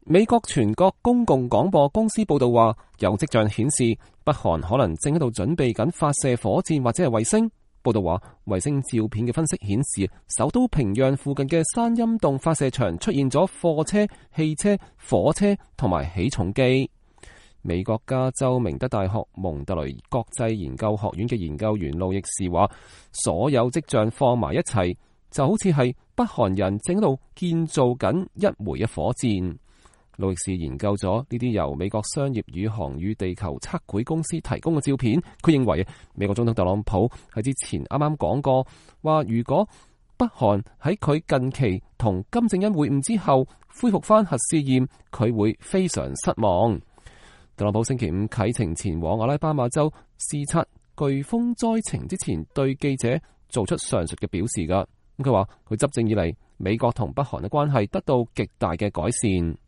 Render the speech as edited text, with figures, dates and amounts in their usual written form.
美國全國公共廣播公司報道話，有跡象顯示北韓可能正喺度準備緊發射火箭或者係衛星。報道話，衛星照片嘅分析顯示，首都平壤附近嘅山陰洞發射場出現咗貨車、汽車、火車同埋起重機。美國加州明德大學蒙特雷國際研究學院嘅研究員路易士話，所有跡象放埋一齊，就好似係北韓人正喺度建造緊一枚嘅火箭。路易士研究咗呢啲由美國商業宇航與地球測繪公司提供嘅照片，佢認為美國總統特朗普喺之前啱啱講過，話如果北韓喺佢近期同金正恩會晤之後恢復翻核試驗，佢會非常失望。特朗普星期五啟程前往阿拉巴馬州視察颶風災情之前，對記者做出上述嘅表示㗎。佢話佢執政以嚟，美國同北韓嘅關係得到極大嘅改善。